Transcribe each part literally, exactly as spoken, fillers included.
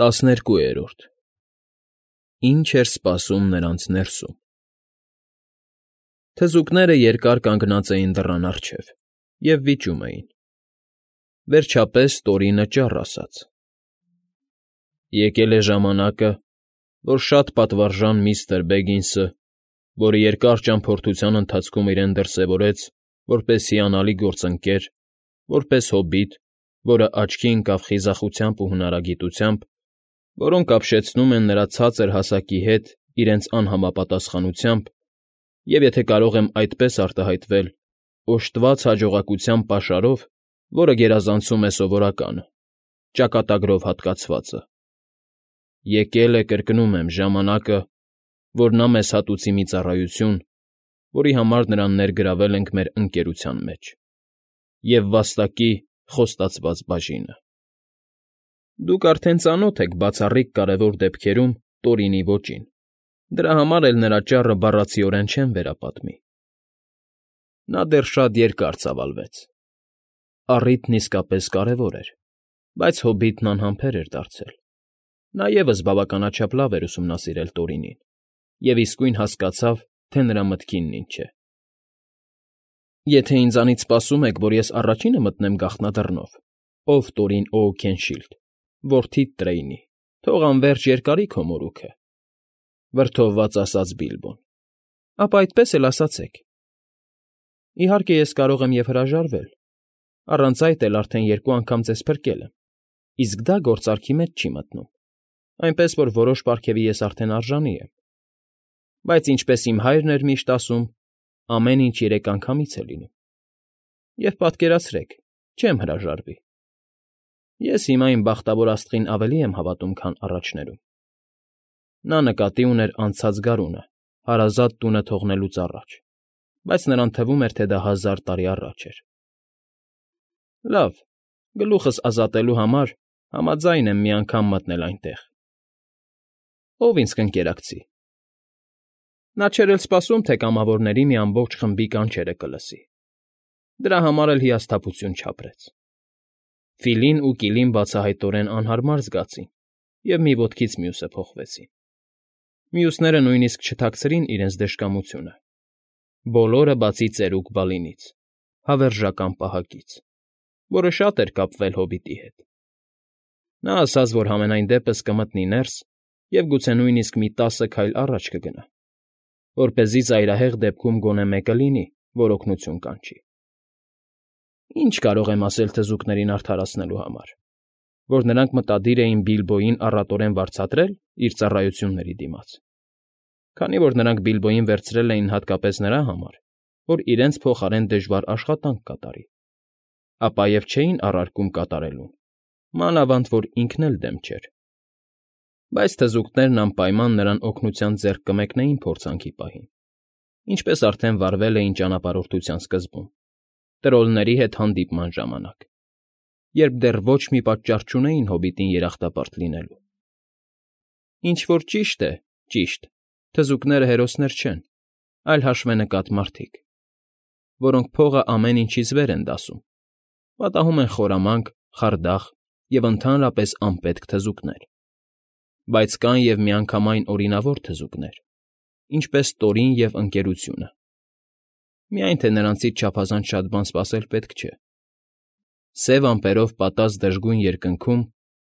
ՏԱՍՆԵՐԿՈՒԵՐՈՐԴ Ինչ էր սպասում նրանց ներսում։ Թզուկները երկար կանգնած էին դռան առջև և վիճում էին։ Վերջապես Տորինը ճառ ասաց. ֊ Եկել է ժամանակը, որ շատ պատվարժան միստր Բեգինսը, որը երկար ճամփորդության ընթացքում իրեն դրսևորեց որպես հիանալի գործընկեր, որպես հոբիտ, որը աչքի ընկավ խիզախությամբ ու հնարագիտությամբ, որոնք ապշեցնում են նրա ցածր հասակի հետ իրենց անհամապատասխանությամբ և, եթե կարող եմ այդպես արտահայտվել, օժտված հաջողակության պաշարով, որը գերազանցում է սովորականը, ճակատագրով հատկացվածը, եկել է, կրկնում եմ, ժամանակը, որ նա մեզ հատուցի մի ծառայություն, որի համար նրան ներգրավել ենք մեր ընկերության մեջ, և վաստակի խոստացված բաժինը։ Դուք արդեն ծանոթ եք բացառիկ կարևոր դեպքերում Տորինի ոճին, դրա համար էլ նրա ճառը բառացիորեն չեմ վերապատմի։ Նա դեռ շատ երկար ծավալվեց։ Առիթն իսկապես կարևոր էր, բայց հոբիտն անհամբեր էր դարձել։ Նա ևս բավականաչափ լավ էր ուսումնասիրել Տորինին և իսկույն հասկացավ, թե նրա մտքինն ինչ է։ Եթե ինձանից սպասում եք, որ ես առաջինը մտնեմ գաղտնադռնով, ով Տորին Օուքենշիլդ, որդիդ Տրեյնի, թող անվերջ երկարի քո մորուքը,֊ վրդովված ասաց Բիլբոն,֊ ապա այդպես էլ ասացեք։ Իհարկե, ես կարող եմ և հրաժարվել, առանց այդ էլ արդեն երկու անգամ ձեզ փրկել եմ, իսկ դա գործարքի մեջ չի մտնում, այնպես որ որոշ պարգևի ես արդեն արժանի եմ, բայց, ինչպես իմ հայրն էր միշտ ասում, ամեն ինչ երեք անգամից է լինում, և պատկերացրեք, չեմ հրաժարվի։ Ես հիմա իմ բախտավոր աստղին ավելի եմ հավատում, քան առաջներում։ Նա նկատի ուներ անցած գարունը, հարազատ տունը թողնելուց առաջ, բայց նրան թվում էր, թե դա հազար տարի առաջ էր։ Լավ, գլուխս ազատելու համար համաձայն եմ մի անգամ մտնել այնտեղ։ Ո՞վ ինձ կընկերակցի։ Նա չէր էլ սպասում, թե կամավորների մի ամբողջ խմբի կանչերը կլսի, դրա համար էլ հիասթափություն չապրեց։ Ֆիլին ու Կիլին բացահայտորեն անհարմար զգացին և մի ոտքից մյուսը փոխվեցին։ Մյուսները նույնիսկ չթաքցրին իրենց դժկամությունը, բոլորը բացի ծերուկ Բալինից, հավերժական պահակից, որը շատ էր կապվել հոբիտի հետ։ Նա ասաց, որ համենայն դեպս կմտնի ներս և գուցե նույնիսկ մի տասը քայլ առաջ կգնա, որպեսզի ծայրահեղ դեպքում գոնե մեկը լինի, որ օգնություն կանչի։ Ինչ կարող եմ ասել թզուկներին արդարացնելու համար, որ նրանք մտադիր էին Բիլբոյին առատորեն վարձատրե՞լ իր ծառայությունների դիմաց, քանի որ նրանք Բիլբոյին վերցրել էին հատկապես նրա համար, որ իրենց փոխարեն դժվար աշխատանք կատարի, ապա և չէին առարկում կատարելուն, մանավանդ որ ինքն էլ դեմ չէր։ Բայց թզուկներն անպայման նրան օգնության ձեռք կմեկնեին փորձանքի պահին, ինչպես արդեն վարվել էին ճանապարհորդության սկզբում, տրոլների հետ հանդիպման ժամանակ, երբ դեռ ոչ մի պատճառ չունեին հոբիտին երախտապարտ լինելու։ Ինչ որ ճիշտ է, ճիշտ, թզուկները հերոսներ չեն, այլ հաշվենկատ մարդիկ, որոնք փողը ամեն ինչից վեր են դասում, պատահում են խորամանկ, խարդախ և ընդհանրապես անպետք թզուկներ։ Բայց կան և միանգամայն օրինավոր թզուկներ, ինչպես Տորին և Ընկերությունը։ Միայն թե նրանցից չափազանց շատ բան սպասել պետք չէ։ Սև ամպերով պատած դժգույն երկնքում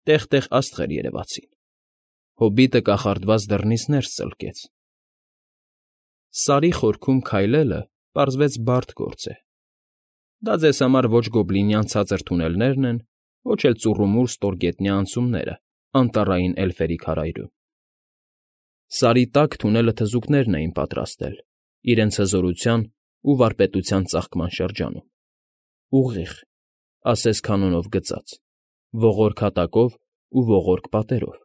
տեղ֊տեղ աստղեր երևացին։ Հոբիտը կախարդված դռնից ներս ծլկեց։ Սարի խորքում քայլելը, պարզվեց, բարդ գործ է։ Դա ձեզ համար ոչ գոբլինյան ցածր թունելներն են, ոչ էլ ծուռումուռ ստորգետնյա անցումները անտառային էլֆերի քարայրում։ Սարի տակ թունելը թզուկներն էին պատրաստել իրենց հզորության ու վարպետության ծաղկման շրջանում։ Ուղիղ, ասես կանոնով գծած, ողորկ հատակով ու ողորկ պատերով,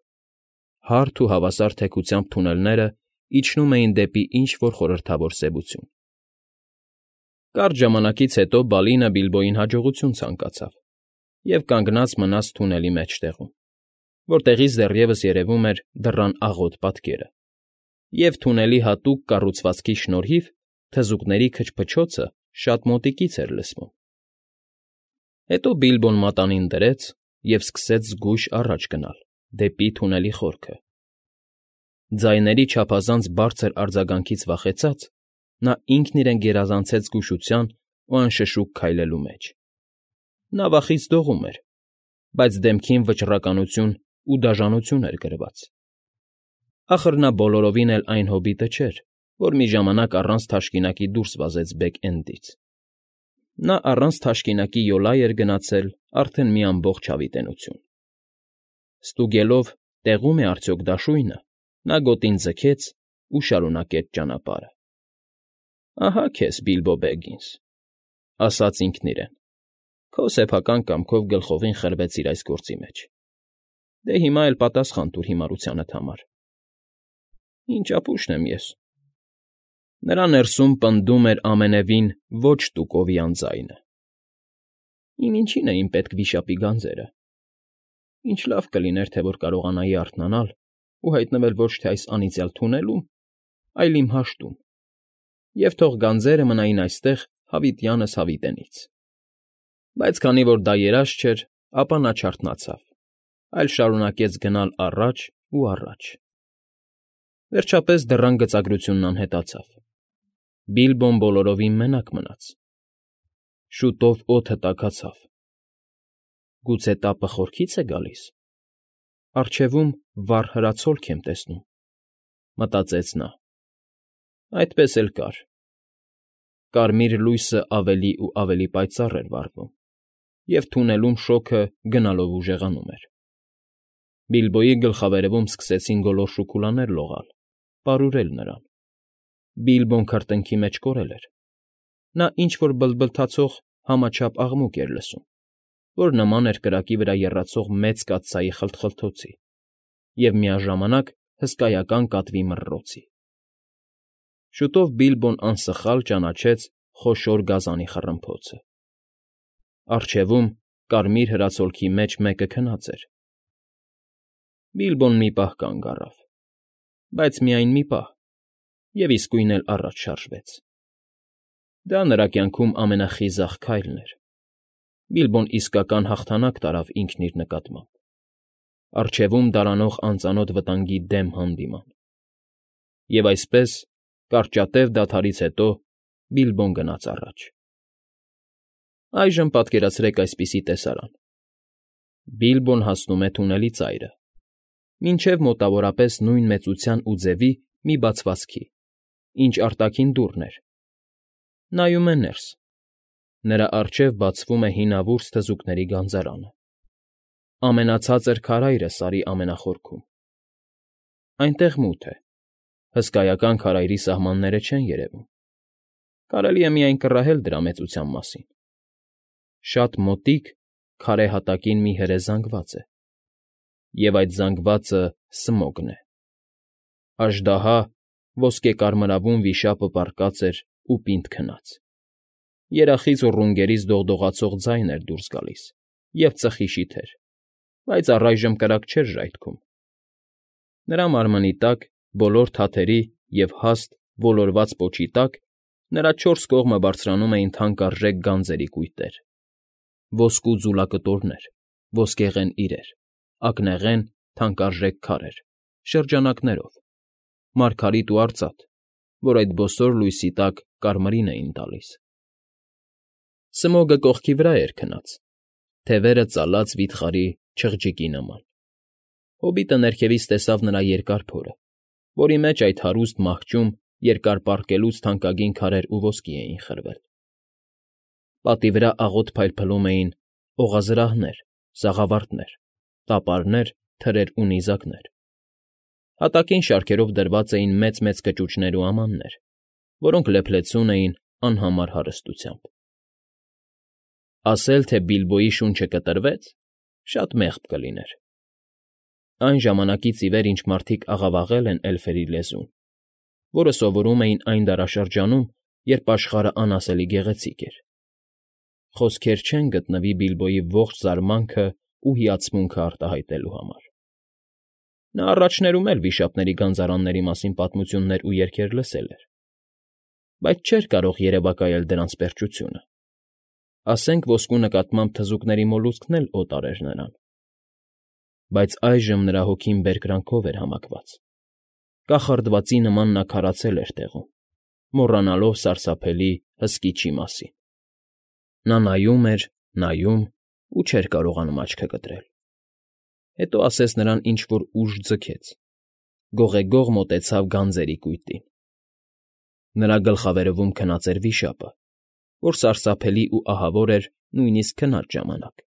հարթ ու հավասար թեքությամբ թունելները իջնում էին դեպի ինչ֊որ խորհրդավոր սևություն։ Կարճ ժամանակից հետո Բալինը Բիլբոյին հաջողություն ցանկացավ և կանգնած մնաց թունելի մեջտեղում, որտեղից դեռևս երևում էր դռան աղոտ պատկերը, և թունելի հատուկ կառուցվածքի շնորհիվ թզուկների քչփչոցը շատ մոտիկից էր լսվում։ Հետո Բիլբոն մատանին դրեց և սկսեց զգույշ առաջ գնալ, դեպի թունելի խորքը։ Ձայների չափազանց բարձր արձագանքից վախեցած՝ նա ինքն իրեն գերազանցեց զգուշության ու անշշուկ քայլելու մեջ։ Նա վախից դողում էր, բայց դեմքին վճռականություն ու դաժանություն էր գրված։ Ախր նա բոլորովին էլ այն հոբիտը չէր, որ մի ժամանակ առանց թաշկինակի դուրս վազեց Բեգ֊Էնդից։ Նա առանց թաշկինակի յոլա էր գնացել արդեն մի ամբողջ հավիտենություն։ Ստուգելով՝ տեղո՞ւմ է արդյոք դաշույնը, նա գոտին ձգեց ու շարունակեց ճանապարհը։ «Ահա քեզ, Բիլբո Բեգինս,֊ ասաց ինքն իրեն,֊ քո սեփական կամքով գլխովին խրվեցիր այս գործի մեջ, դե հիմա էլ պատասխան տուր հիմարությանդ համար։ Ինչ ապուշն եմ ես…»։ Նրա ներսում պնդում էր ամենևին ոչ տուկովյան ձայնը. «Իմ ինչին էին պետք վիշապի գանձերը… Ինչ լավ կլիներ, թե որ կարողանայի արթնանալ ու հայտնվել ոչ թե այս անիծյալ թունելում, այլ իմ հաշտում, և թող գանձերը մնային այստեղ հավիտյանս հավիտենից»։ Բայց քանի որ դա երազ չէր, ապա նա չարթնացավ, այլ շարունակեց գնալ առաջ ու առաջ։ Վերջապես դռան գծագրությունն անհետացավ։ Բիլբոն բոլորովին մենակ մնաց։ Շուտով օդը տաքացավ։ «Գուցե տապը խորքի՞ց է գալիս։ Առջևում վառ հրացոլք եմ տեսնում»,֊ մտածեց նա։ Այդպես էլ կար։ Կարմիր լույսը ավելի ու ավելի պայծառ էր վառվում, և թունելում շոգը գնալով ուժեղանում էր։ Բիլբոյի գլխավերևում սկսեցին գոլոր շուքուլաներ լողալ, պարուրել նրան։ Բիլբոն քրտինքի մեջ կորել էր։ Նա ինչ֊որ բլթբլթացող համաչափ աղմուկ էր լսում, որ նման էր կրակի վրա եռացող մեծ կաթսայի խլթխլթոցի և միաժամանակ հսկայական կատվի մռռոցի։ Շուտով Բիլբոն անսխալ ճանաչեց խոշոր գազանի խռմփոցը։ Առջևում, կարմիր հրացոլքի մեջ մեկը քնած էր։ Բիլբոն մի պահ կանգ առավ, բայց միայն մի պահ, և իսկույն էլ առաջ շարժվեց։ Դա նրա կյանքում ամենախիզախ քայլն էր։ Բիլբոն իսկական հաղթանակ տարավ ինքն իր նկատմամբ։ Առջևում դարանող անծանոթ վտանգի դեմ հանդիման։ Եվ այսպես, կարճատև դադարից հետո Բիլբոն գնաց առաջ։ Այժմ պատկերացրեք այսպիսի տեսարան. Բիլբոն հասնում է թունելի ծայրը, մինչև մոտավորապես նույն մեծության ու ձևի մի բացվածքի, ինչ արտաքին դուռն էր։ Նայում է ներս։ Նրա առջև բացվում է հինավուրց թզուկների գանձարանը։ Ամենացածր քարայրը սարի ամենախորքում։ Այնտեղ մութ է։ Հսկայական քարայրի սահմանները չեն երևում։ Կարելի է միայն կռահել դրա մեծության մասին։ Շատ մոտիկ, քարե հատակին մի հրե զանգված է։ Եվ այդ զանգվածը Սմոգն է։Աժդահա, ոսկեկարմրավուն վիշապը պառկած էր ու պինդ քնած։ Երախից ու ռունգներից դողդողացող ձայն էր դուրս գալիս և ծխի շիթեր, բայց առայժմ կրակ չէր ժայթքում։ Նրա մարմնի տակ, բոլոր թաթերի և հաստ, ոլորված պոչի տակ նրա չորս կողմը բարձրանում էին թանկարժեք գանձերի կույտեր. ոսկու ձուլակտորներ, ոսկեղեն իրեր, ակնեղեն, թանկարժեք քարեր, շրջանակներով, մարգարիտ ու արծաթ, որ այդ բոսոր լույսի տակ կարմիրին էին տալիս։ Սմոգը կողքի վրա էր քնած, թևերը ծալած վիթխարի չղջիկի նման։ Հոբիտը ներքևից տեսավ նրա երկար փորը, որի մեջ այդ հարուստ մահճում երկար պառկելուց թանկագին քարեր ու ոսկի էին խրվել։ Պատի վրա աղոտ փայլփլում էին օղազրահներ, սաղավարտներ, տապարներ, թրեր ու նիզակներ։ Հատակին շարքերով դրված էին մեծ֊մեծ կճուճներ ու ամաններ, որոնք լեփլեցուն էին անհամար հարստությամբ։ Ասել, թե Բիլբոյի շունչը կտրվեց, շատ մեղմ կլիներ։ Այն ժամանակից ի վեր, ինչ մարդիկ աղավաղել են էլֆերի լեզուն, որը սովորում էին այն դարաշրջանում, երբ աշխարհն անասելի գեղեցիկ էր, խոսքեր չեն գտնվի Բիլբոյի ողջ զարմանքն ու հիացմունքն արտահայտելու համար։ Նա առաջներում էլ վիշապների գանձարանների մասին պատմություններ ու երգեր լսել էր, բայց չէր կարող երևակայել դրանց պերճությունը։ Ասենք ոսկու նկատմամբ թզուկների մոլուցքն էլ օտար էր նրան։ բայց այժմ նրա հոգին բերկրանքով էր համակված. կախարդվածի նման նա քարացել էր տեղում, մոռանալով սարսափելի հսկիչի մասին։ Նա նայում էր, նայում ու չէր կարողանում աչքը կտրել։ Հետո ասես նրան ինչ֊որ ուժ ձգեց, գողեգող մոտեցավ գանձերի կույտին։ Նրա գլխավերևում քնած էր վիշապը, որ սարսափելի ու ահավոր էր նույնիսկ քնած ժամանակ։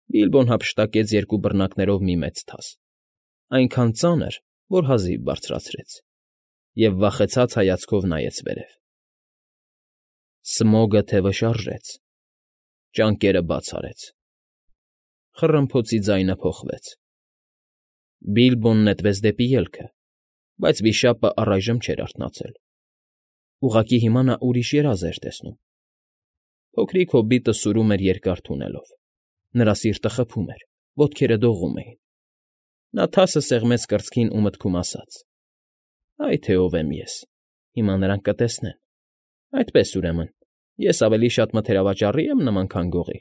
Բիլբոն հափշտակեց երկու բռնակներով մի մեծ թաս, այնքան ծանր, որ հազիվ բարձրացրեց, և վախեցած հայացքով նայեց վերև։ Սմոգը թևը շարժեց, ճանկերը բաց արեց, խռմփոցի ձայնը փոխվեց։ Բիլբոն նետվեց դեպի ելքը, բայց վիշապը առայժմ չէր արթնացել։ Ուղղակի հիմա նա ուրիշ երազ էր տեսնում։ Փոքրիկ հոբիտը սուրում էր երկար թունելով, նրա սիրտը խփում էր, ոտքերը դողում էին։ Նա թասը սեղմեց կրծքին ու մտքում ասաց. «Այ թե ով եմ ես, հիմա նրանք կտեսնեն։ Այդպես, ուրեմն, ես ավելի շատ մթերավաճառի՞ եմ նման, քան գողի,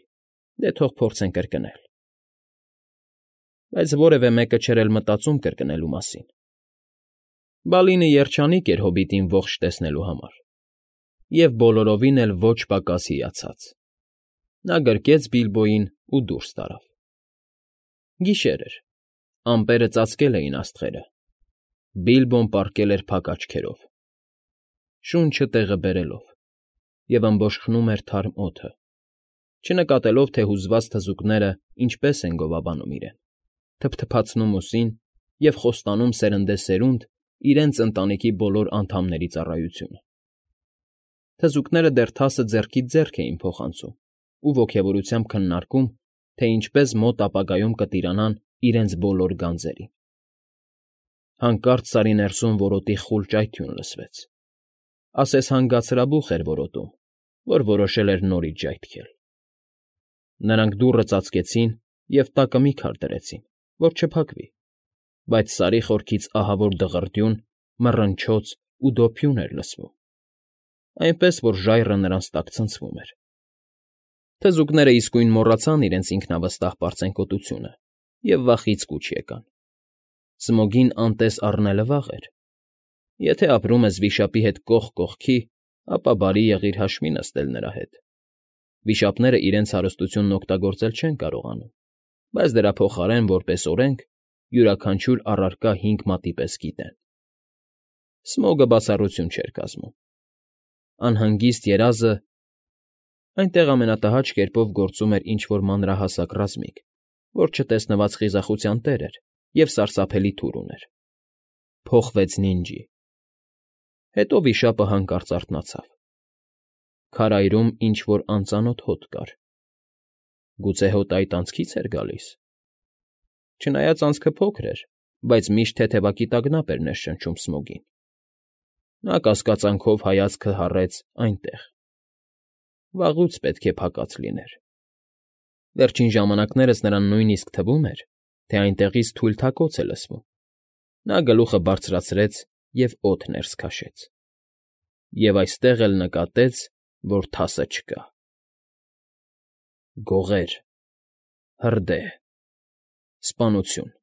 դե թող փորձեն կրկնել»։ Բայց որևէ մեկը չէր էլ մտածում կրկնելու մասին։ Բալինը երջանիկ էր հոբիտին ողջ տեսնելու համար և բոլորովին էլ ոչ պակաս հիացած։ Նա գրկեց Բիլբոյին ու դուրս տարավ։ Գիշեր էր, ամպերը ծածկել էին աստղերը, Բիլբոն պառկել էր փակ աչքերով, շունչը տեղը բերելով, և ըմբոշխնում էր թարմ օդը, չնկատելով, թե հուզված թզուկները ինչպես են գովաբանում իրեն, թփթփացնում ուսին և խոստանում սերնդեսերունդ իրենց ընտանիքի բոլոր անդամների ծառայությունը։ Թզուկները դեռ թասը ձեռքից ձեռք էին փոխանցում ու ոգևորությամբ քննարկում, թե ինչպես մոտ ապագայում կտիրանան իրենց բոլոր գանձերին։ Հանկարծ Սարի ներսում որոտի խուլ ճայթյուն լսվեց, ասես հանգած հրաբուխ էր որոտում, որ որոշել էր նորից ժայթքել։ Նրանք դուռը ծածկեցին և տակը մի քար դրեցին, որ չփակվի, բայց Սարի խորքից ահավոր դղրդյուն, մռնչոց ու դոփյուն էր լսվում, այնպես որ ժայռը նրանց տակ ցնցվում էր։ Թզուկները իսկույն մոռացան իրենց ինքնավստահ պարծենկոտությունը և վախից կուչ եկան։ Սմոգին անտես առնելը վաղ էր։ Եթե ապրում ես վիշապի հետ կողք կողքի, ապա բարի եղիր հաշվի նստել նրա հետ։ Վիշապները իրենց հարստությունն օգտագործել չեն կարողանում, բայց դրա փոխարեն, որպես օրենք, յուրաքանչյուր առարկա հինգ մատի պես գիտեն։ Սմոգը բացառություն չէր կազմում։ Անհանգիստ երազը… Այնտեղ ամենատհաճ կերպով գործում էր ինչ֊որ մանրահասակ ռազմիկ, որ չտեսնված խիզախության տեր էր և սարսափելի թուր ուներ։ Փոխվեց նինջի։ Հետո վիշապը հանկարծ արթնացավ։ Քարայրում ինչ֊որ անծանոթ հոտ կար։ Գուցե հոտը այդ անցքի՞ց էր գալիս։ Չնայած անցքը փոքր էր, բայց միշտ թեթևակի տանգապ էր ներշնչում Սմոգին։ Նա կասկածանքով հայացքը հառեց այնտեղ։ Վաղուց պետք է փակած լիներ։ Վերջին ժամանակներս նրան նույնիսկ թվում էր, թե այնտեղից թույլ թակոց է լսվում։ Նա գլուխը բարձրացրեց և օդ ներս քաշեց։ Եվ այստեղ էլ նկատեց, որ թասը չկա։ Գողեր… հրդեհ… սպանություն…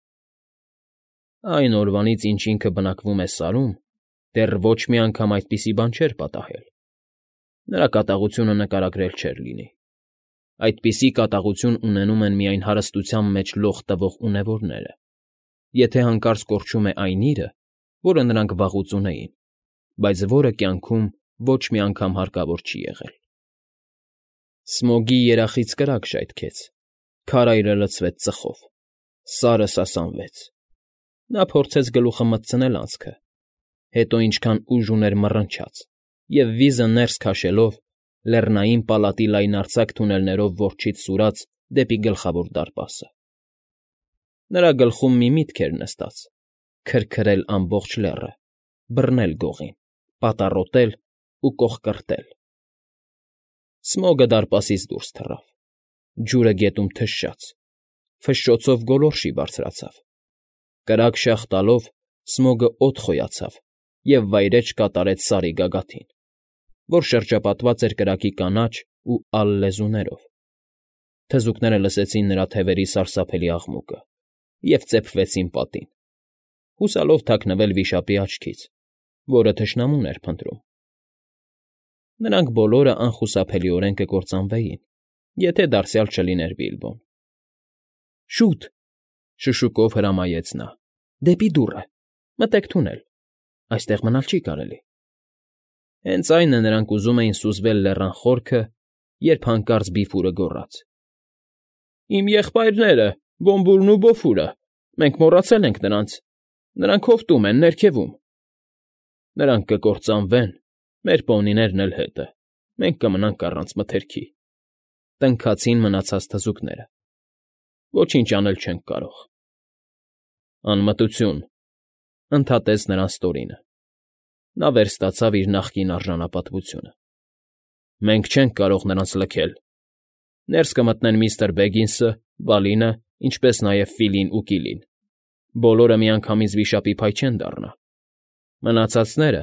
Այն օրվանից, ինչ ինքը բնակվում է Սարում, դեռ ոչ մի անգամ այդպիսի բան չէր պատահել։ Նրա կատաղությունը նկարագրել չէր լինի։ Այդպիսի կատաղություն ունենում են միայն հարստության մեջ լող տվող ունևորները, եթե հանկարծ կորչում է այն իրը, որը նրանք վաղուց ունեին, բայց որը կյանքում ոչ մի անգամ հարկավոր չի եղել։ Սմոգի երախից կրակ ժայթքեց, քարայրը լցվեց ծխով, Սարը սասանվեց։ Նա փորձեց գլուխը մտցնել անցքը, հետո ինչքան ուժ ուներ մռնչաց և վիզը ներս քաշելով, լեռնային պալատի լայնարձակ թունելներով որջից սուրաց դեպի Գլխավոր դարպասը։ Նրա գլխում մի միտք էր նստած՝ քրքրել ամբողջ լեռը, բռնել գողին, պատառոտել ու կոխկրտել։ Սմոգը դարպասից դուրս թռավ, ջուրը գետում թշաց, ֆշշոցով գոլորշի բարձրացավ։ Կրակ շաղ տալով՝ Սմոգը օդ խոյացավ և վայրէջք կատարեց Սարի գագաթին, որ շրջապատված էր կրակի կանաչ ու ալ լեզուներով։ Թզուկները լսեցին նրա թևերի սարսափելի աղմուկը և ծեփվեցին պատին, հուսալով թաքնվել վիշապի աչքից, որը թշնամուն էր փնտրում։ Նրանք բոլորը անխուսափելիորեն կկործանվեին, եթե դարձյալ չլիներ Բիլբոն։ ֊ Շուտ,֊ շշուկով հրամայեց նա,֊ դեպի դուռը, մտեք թունել, այստեղ մնալ չի կարելի։ Հենց այն է նրանք ուզում էին սուզվել լեռան խորքը, երբ հանկարծ Բիֆուրը գոռաց. ֊ Իմ եղբայրները… Բոմբուրն ու Բոֆուրը… Մենք մոռացել ենք նրանց… Նրանք հովտում են, ներքևում… ֊ Նրանք կկործանվեն, մեր պոնիներն էլ հետը, մենք կմնանք առանց մթերքի…֊ տնքացին մնացած թզուկները։ ֊ Ոչինչ անել չենք կարող։ ֊ Անմտություն,֊ ընդհատեց նրանց Տորինը. նա վերստացավ իր նախկին արժանապատվությունը։ ֊ Մենք չենք կարող նրանց լքել… Ներս կմտնեն միստր Բեգինսը, Բալինը, ինչպես նաև Ֆիլին ու Կիլին… Բոլորը միանգամից վիշապի փայ չեն դառնա… Մնացածները…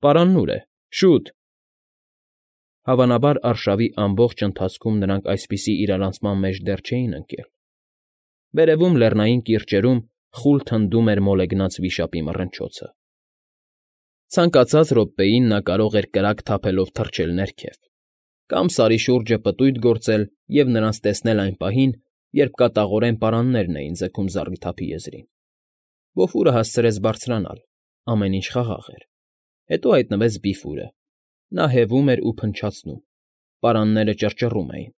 Պարանն ուր է… Շուտ… Հավանաբար արշավի ամբողջ ընթացքում նրանք այսպիսի իրարանցման մեջ դեռ չէին ընկել… Վերևում, լեռնային կիրճերում խուլ թնդում էր մոլեգնած վիշապի մռնչոցը… Ցանկացած րոպեին նա կարող էր կրակ թափելով թռչել ներքև, կամ Սարի շուրջը պտույտ գործել և նրանց տեսնել այն պահին, երբ կատաղորեն պարաններն էին ձգում զառիթափի եզրին… Բոֆուրը հասցրեց բարձրանալ, ամեն ինչ խաղաղ էր… Հետո հայտնվեց Բիֆուրը… Նա հևում էր ու փնչացնում, պարանները ճռճռում էին,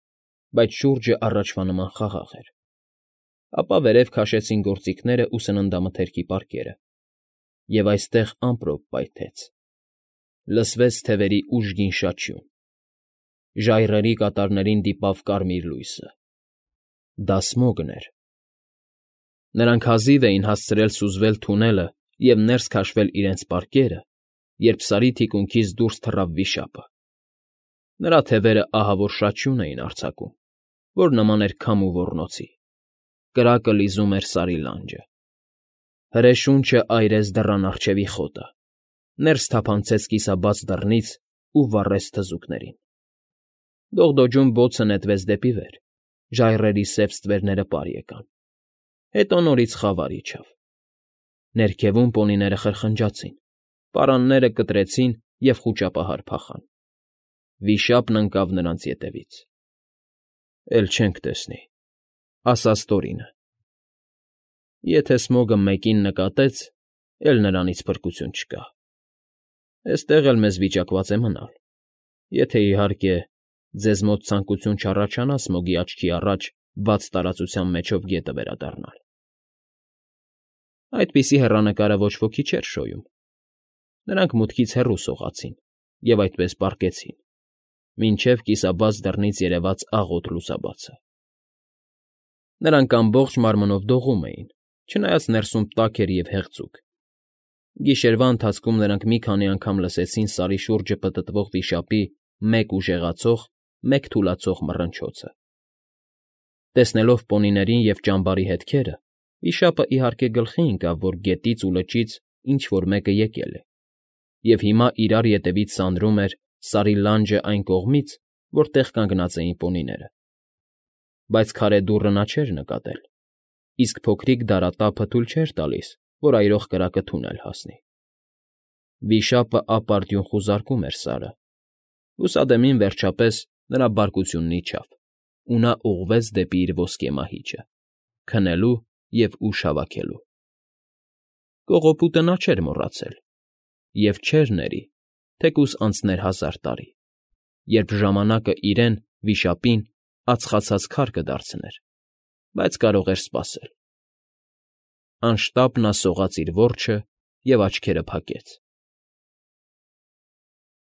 բայց շուրջը առաջվա նման խաղաղ էր… Ապա վերև քաշեցին գործիքներն ու սննդամթերքի պարկերը, և այստեղ ամպրոպ պայթեց… Լսվեց թևերի ուժգին շաչյուն… Ժայռերի կատարներին դիպավ կարմիր լույսը… Դա Սմոգն էր… Նրանք հազիվ էին հասցրել սուզվել թունելը և ներս քաշել իրենց պարկերը, երբ Սարի թիկունքից դուրս թռավ վիշապը… Նրա թևերը ահավոր շաչյուն էին արձակում, որ նման էր քամու ոռնոցի… Կրակը լիզում էր Սարի լանջը… Հրե շունչը այրեց դռան առջևի խոտը, ներս թափանցեց կիսաբաց դռնից ու վառեց թզուկներին… Դողդոջուն բոցը նետվեց դեպի վեր, ժայռերի սև ստվերները պար եկան… Հետո նորից խավար իջավ… Ներքևում պոնիները խրխնջացին, պարանները կտրեցին և խուճապահար փախան… Վիշապն ընկավ նրանց ետևից… ֊ Էլ չենք տեսնի,֊ ասաց Տորինը։ ֊ Եթե Սմոգը մեկին նկատեց, էլ նրանից փրկություն չկա… Էստեղ էլ մեզ վիճակված է մնալ, եթե, իհարկե, ձեզ մոտ ցանկություն չառաջանա Սմոգի աչքի առաջ բաց տարածության միջով գետը վերադառնալ… Այդպիսի հեռանկարը ոչ ոքի չէր շոյում… Նրանք մուտքից հեռու սողացին և այդպես պառկեցին, մինչև կիսաբաց դռնից երևաց աղոտ լուսաբացը… Նրանք ամբողջ մարմնով դողում էին, չնայած ներսում տաք էր և հեղձուկ… Գիշերվա ընթացքում նրանք մի քանի անգամ լսեցին Սարի շուրջը պտտվող վիշապի մեկ ուժեղացող, մեկ թուլացող մռնչոցը… Տեսնելով պոնիներին և ճամբարի հետքերը, վիշապն, իհարկե, գլխի ընկավ, որ գետից ու լճից ինչ֊որ մեկը եկել է, և հիմա իրար ետևից սանրում էր Սարի լանջը այն կողմից, որտեղ կանգնած էին պոնիները… Բայց քարե դուռը նա չէր նկատել, իսկ փոքրիկ դարատափը թույլ չէր տալիս, որ այրող կրակը թունել հասնի… Վիշապն ապարդյուն խուզարկում էր Սարը… Լուսադեմին, վերջապես, նրա բարկությունն իջավ, ու նա ուղղվեց դեպի իր ոսկե մահիճը՝ քնելու և ուժ հավաքելու… Կողոպուտը նա չէր մոռացել և չէր ների, թեկուզ անցներ հազար տարի, երբ ժամանակը իրեն՝ վիշապին, ածխացած քար կդարձներ, բայց կարող էր սպասել… Անշտապ նա սողաց իր որջը և աչքերը փակեց…